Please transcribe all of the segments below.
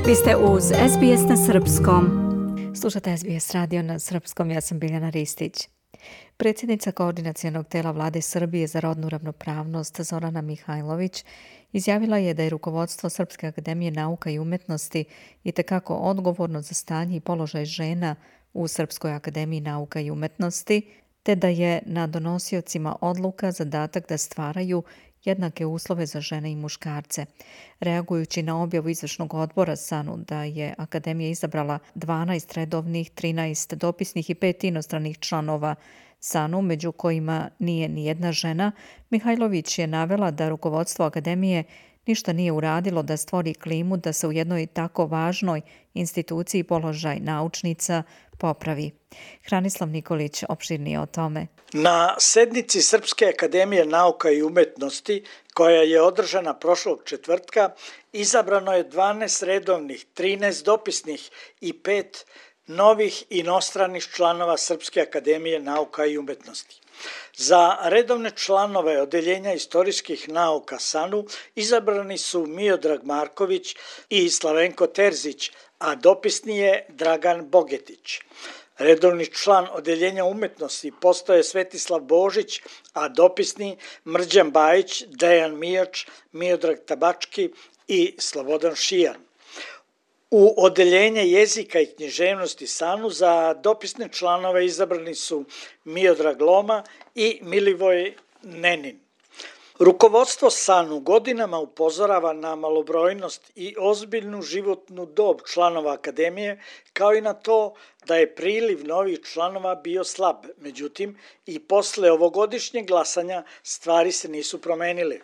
Vi ste uz SBS na srpskom. Slušate SBS radio na srpskom, ja sam Biljana Ristić. Predsjednica Koordinacionog tela Vlade Srbije za rodnu ravnopravnost Zorana Mihajlović izjavila je da je rukovodstvo Srpske akademije nauka i umetnosti itekako odgovorno za stanje i položaj žena u Srpskoj akademiji nauka i umetnosti, te da je na donosiocima odluka zadatak da stvaraju jednake uslove za žene i muškarce. Reagujući na objavu izvršnog odbora SANU da je Akademija izabrala 12 redovnih, 13 dopisnih i 5 inostranih članova SANU, među kojima nije ni jedna žena, Mihajlović je navela da rukovodstvo Akademije ništa nije uradilo da stvori klimu da se u jednoj tako važnoj instituciji položaj naučnica popravi. Hranislav Nikolić opširnije o tome. Na sednici Srpske akademije nauka i umetnosti, koja je održana prošlog četvrtka, izabrano je 12 redovnih, 13 dopisnih i 5 novih inostranih članova Srpske akademije nauka i umetnosti. Za redovne članove Odeljenja istorijskih nauka SANU izabrani su Miodrag Marković i Slavenko Terzić, a dopisni je Dragan Bogetić. Redovni član Odeljenja umetnosti postao je Svetislav Božić, a dopisni Mrđan Bajić, Dejan Mijač, Miodrag Tabački i Slobodan Šijan. U Odeljenje jezika i književnosti SANU za dopisne članove izabrani su Miodrag Loma i Milivoj Nenin. Rukovodstvo SANU godinama upozorava na malobrojnost i ozbiljnu životnu dob članova akademije, kao i na to da je priliv novih članova bio slab. Međutim, i posle ovogodišnjeg glasanja stvari se nisu promenile.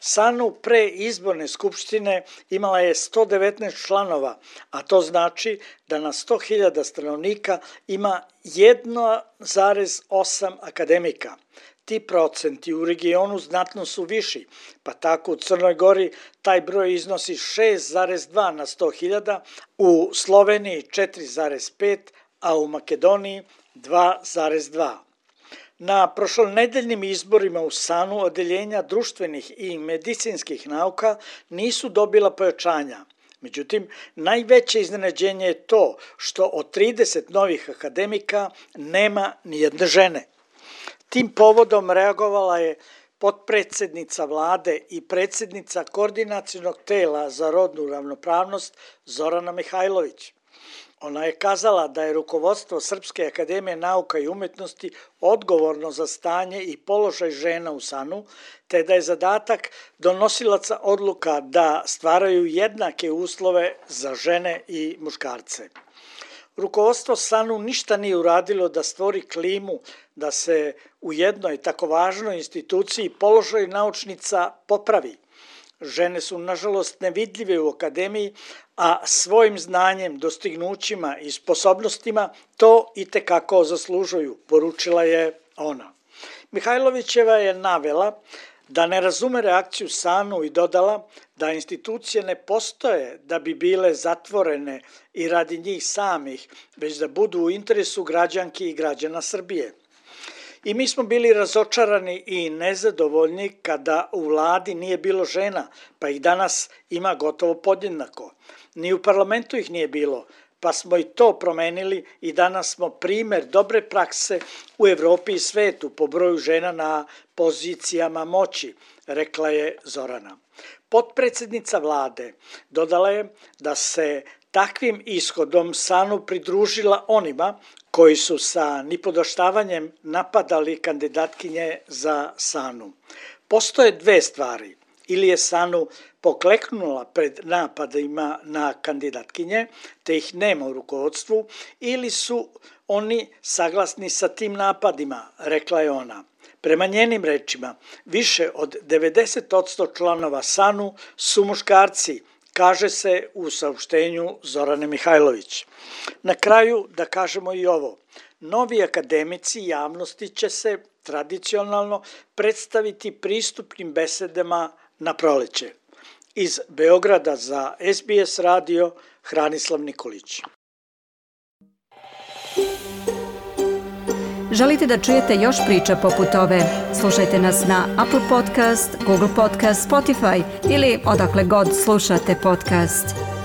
SANU pre izborne skupštine imala je 119 članova, a to znači da na 100.000 stanovnika ima 1,8 akademika. Ti procenti u regionu znatno su viši, pa tako u Crnoj Gori taj broj iznosi 6,2 na 100.000, u Sloveniji 4,5, a u Makedoniji 2,2. Na prošlonedeljnim izborima u SANU odeljenja društvenih i medicinskih nauka nisu dobila pojačanja. Međutim, najveće iznenađenje je to što od 30 novih akademika nema ni jedne žene. Tim povodom reagovala je potpredsednica vlade i predsjednica Koordinacionog tela za rodnu ravnopravnost Zorana Mihajlović. Ona je kazala da je rukovodstvo Srpske akademije nauka i umetnosti odgovorno za stanje i položaj žena u SANU, te da je zadatak donosilaca odluka da stvaraju jednake uslove za žene i muškarce. Rukovodstvo SANU ništa nije uradilo da stvori klimu da se u jednoj tako važnoj instituciji položaj naučnica popravi. Žene su, nažalost, nevidljive u akademiji, a svojim znanjem, dostignućima i sposobnostima to itekako zaslužuju, poručila je ona. Mihajlovićeva je navela da ne razume reakciju SANU i dodala da institucije ne postoje da bi bile zatvorene i radi njih samih, već da budu u interesu građanki i građana Srbije. I mi smo bili razočarani i nezadovoljni kada u vladi nije bilo žena, pa ih danas ima gotovo podjednako. Ni u parlamentu ih nije bilo, pa smo i to promenili i danas smo primer dobre prakse u Evropi i svetu po broju žena na pozicijama moći, rekla je Zorana. Potpredsednica vlade dodala je da se takvim ishodom SANU pridružila onima koji su sa nipodaštavanjem napadali kandidatkinje za SANU. Postoje dve stvari. Ili je SANU pokleknula pred napadima na kandidatkinje, te ih nema u rukovodstvu, ili su oni saglasni sa tim napadima, rekla je ona. Prema njenim rečima, više od 90% članova SANU su muškarci, kaže se u saopštenju Zorane Mihajlović. Na kraju da kažemo i ovo. Novi akademici javnosti će se tradicionalno predstaviti pristupnim besedama na proleće. Iz Beograda za SBS radio, Hranislav Nikolić. Želite da čujete još priča poput ove? Slušajte nas na Apple Podcast, Google Podcast, Spotify ili odakle god slušate podcast.